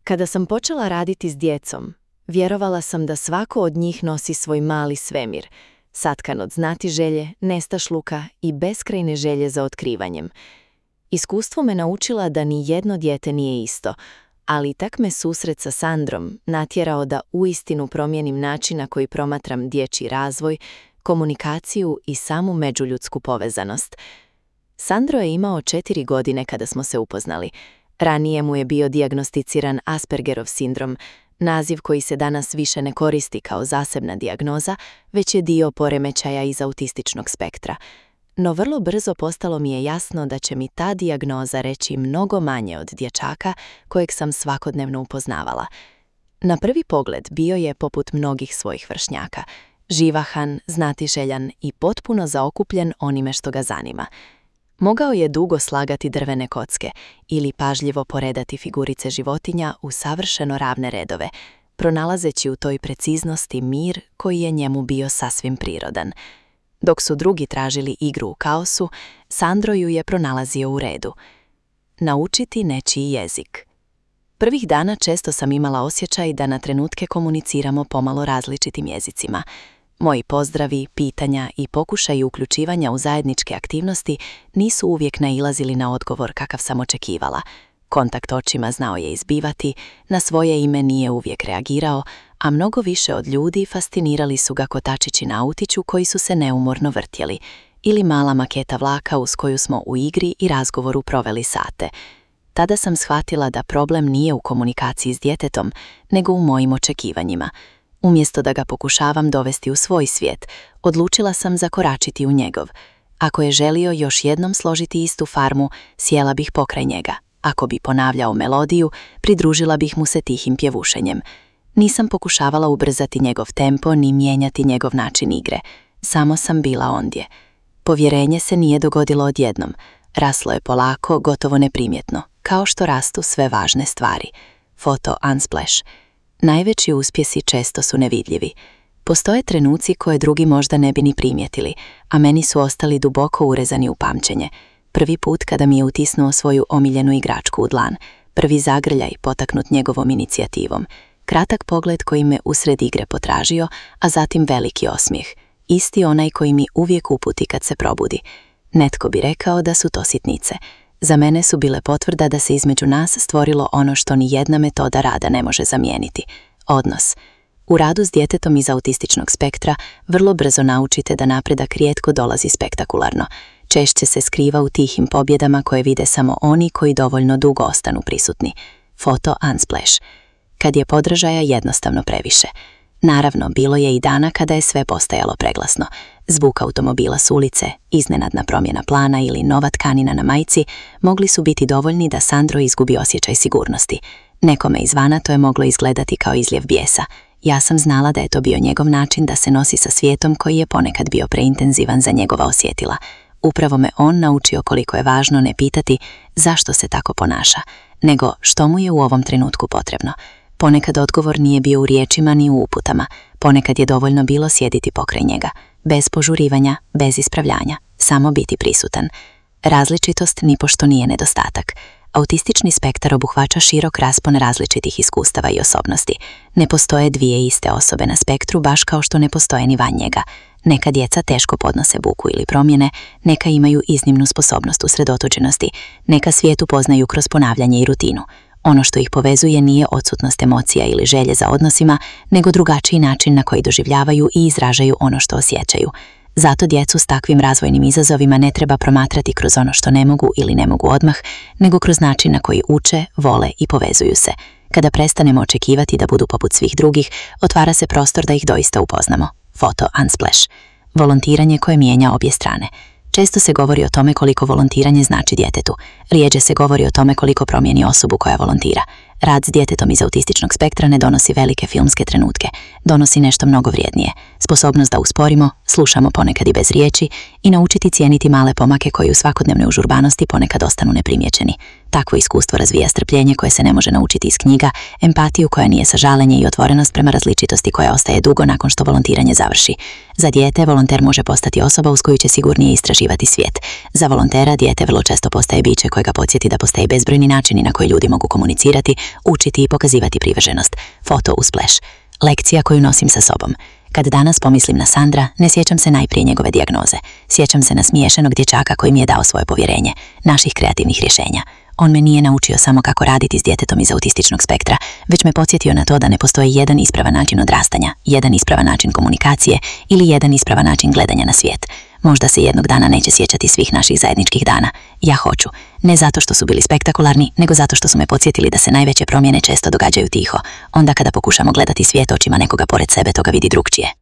Kada sam počela raditi s djecom, vjerovala sam da svako od njih nosi svoj mali svemir, satkan od znatiželje, nestašluka i beskrajne želje za otkrivanjem. Iskustvo me naučila da ni jedno dijete nije isto, ali tak me susret sa Sandrom natjerao da uistinu promijenim način na koji promatram dječji razvoj, komunikaciju i samu međuljudsku povezanost. Sandro je imao 4 godine kada smo se upoznali. Ranije mu je bio dijagnosticiran Aspergerov sindrom, naziv koji se danas više ne koristi kao zasebna dijagnoza, već je dio poremećaja iz autističnog spektra. No vrlo brzo postalo mi je jasno da će mi ta dijagnoza reći mnogo manje od dječaka kojeg sam svakodnevno upoznavala. Na prvi pogled bio je poput mnogih svojih vršnjaka, živahan, znatiželjan i potpuno zaokupljen onime što ga zanima. Mogao je dugo slagati drvene kocke ili pažljivo poredati figurice životinja u savršeno ravne redove, pronalazeći u toj preciznosti mir koji je njemu bio sasvim prirodan. Dok su drugi tražili igru u kaosu, Sandro ju je pronalazio u redu. Naučiti nečiji jezik. Prvih dana često sam imala osjećaj da na trenutke komuniciramo pomalo različitim jezicima. Moji pozdravi, pitanja i pokušaji uključivanja u zajedničke aktivnosti nisu uvijek nailazili na odgovor kakav sam očekivala. Kontakt očima znao je izbivati, na svoje ime nije uvijek reagirao, a mnogo više od ljudi fascinirali su ga kotačići na autiću koji su se neumorno vrtjeli, ili mala maketa vlaka uz koju smo u igri i razgovoru proveli sate. Tada sam shvatila da problem nije u komunikaciji s djetetom, nego u mojim očekivanjima. Umjesto da ga pokušavam dovesti u svoj svijet, odlučila sam zakoračiti u njegov. Ako je želio još jednom složiti istu farmu, sjela bih pokraj njega. Ako bi ponavljao melodiju, pridružila bih mu se tihim pjevušenjem. Nisam pokušavala ubrzati njegov tempo ni mijenjati njegov način igre. Samo sam bila ondje. Povjerenje se nije dogodilo odjednom. Raslo je polako, gotovo neprimjetno, kao što rastu sve važne stvari. Foto Unsplash. Najveći uspjesi često su nevidljivi. Postoje trenuci koje drugi možda ne bi ni primjetili, a meni su ostali duboko urezani u pamćenje. Prvi put kada mi je utisnuo svoju omiljenu igračku u dlan, prvi zagrljaj potaknut njegovom inicijativom, kratak pogled koji me usred igre potražio, a zatim veliki osmijeh, isti onaj koji mi uvijek uputi kad se probudi. Netko bi rekao da su to sitnice. Za mene su bile potvrda da se između nas stvorilo ono što ni jedna metoda rada ne može zamijeniti. Odnos. U radu s djetetom iz autističnog spektra vrlo brzo naučite da napredak rijetko dolazi spektakularno. Češće se skriva u tihim pobjedama koje vide samo oni koji dovoljno dugo ostanu prisutni. Foto Unsplash. Kad je podražaja jednostavno previše. Naravno, bilo je i dana kada je sve postajalo preglasno. Zvuk automobila s ulice, iznenadna promjena plana ili nova tkanina na majici mogli su biti dovoljni da Sandro izgubi osjećaj sigurnosti. Nekome izvana to je moglo izgledati kao izljev bijesa. Ja sam znala da je to bio njegov način da se nosi sa svijetom koji je ponekad bio preintenzivan za njegova osjetila. Upravo me on naučio koliko je važno ne pitati zašto se tako ponaša, nego što mu je u ovom trenutku potrebno. Ponekad odgovor nije bio u riječima ni u uputama, ponekad je dovoljno bilo sjediti pokraj njega, bez požurivanja, bez ispravljanja, samo biti prisutan. Različitost nipošto nije nedostatak. Autistični spektar obuhvaća širok raspon različitih iskustava i osobnosti. Ne postoje dvije iste osobe na spektru, baš kao što ne postoje ni van njega. Neka djeca teško podnose buku ili promjene, neka imaju iznimnu sposobnost usredotočenosti, neka svijet upoznaju kroz ponavljanje i rutinu. Ono što ih povezuje nije odsutnost emocija ili želje za odnosima, nego drugačiji način na koji doživljavaju i izražaju ono što osjećaju. Zato djecu s takvim razvojnim izazovima ne treba promatrati kroz ono što ne mogu ili ne mogu odmah, nego kroz način na koji uče, vole i povezuju se. Kada prestanemo očekivati da budu poput svih drugih, otvara se prostor da ih doista upoznamo. Foto Unsplash. Volontiranje koje mijenja obje strane. Često se govori o tome koliko volontiranje znači djetetu. Rijeđe se govori o tome koliko promijeni osobu koja volontira. Rad s djetetom iz autističnog spektra ne donosi velike filmske trenutke. Donosi nešto mnogo vrijednije. Sposobnost da usporimo, slušamo ponekad i bez riječi i naučiti cijeniti male pomake koji u svakodnevnoj užurbanosti ponekad ostanu neprimjećeni. Takvo iskustvo razvija strpljenje koje se ne može naučiti iz knjiga, empatiju koja nije sažaljenje i otvorenost prema različitosti koja ostaje dugo nakon što volontiranje završi. Za dijete, volonter može postati osoba uz koju će sigurnije istraživati svijet. Za volontera, dijete vrlo često postaje biće koje ga podsjeti da postoje bezbrojni načini na koje ljudi mogu komunicirati, učiti i pokazivati privrženost. Foto uz splash. Lekcija koju nosim sa sobom. Kad danas pomislim na Sandra, ne sjećam se najprije njegove dijagnoze. Sjećam se na smiješenog dječaka koji mi je dao svoje povjerenje, naših kreativnih rješenja. On me nije naučio samo kako raditi s djetetom iz autističnog spektra, već me podsjetio na to da ne postoji jedan ispravan način odrastanja, jedan ispravan način komunikacije ili jedan ispravan način gledanja na svijet. Možda se jednog dana neće sjećati svih naših zajedničkih dana. Ja hoću. Ne zato što su bili spektakularni, nego zato što su me podsjetili da se najveće promjene često događaju tiho. Onda kada pokušamo gledati svijet očima nekoga pored sebe, to ga vidi drugčije.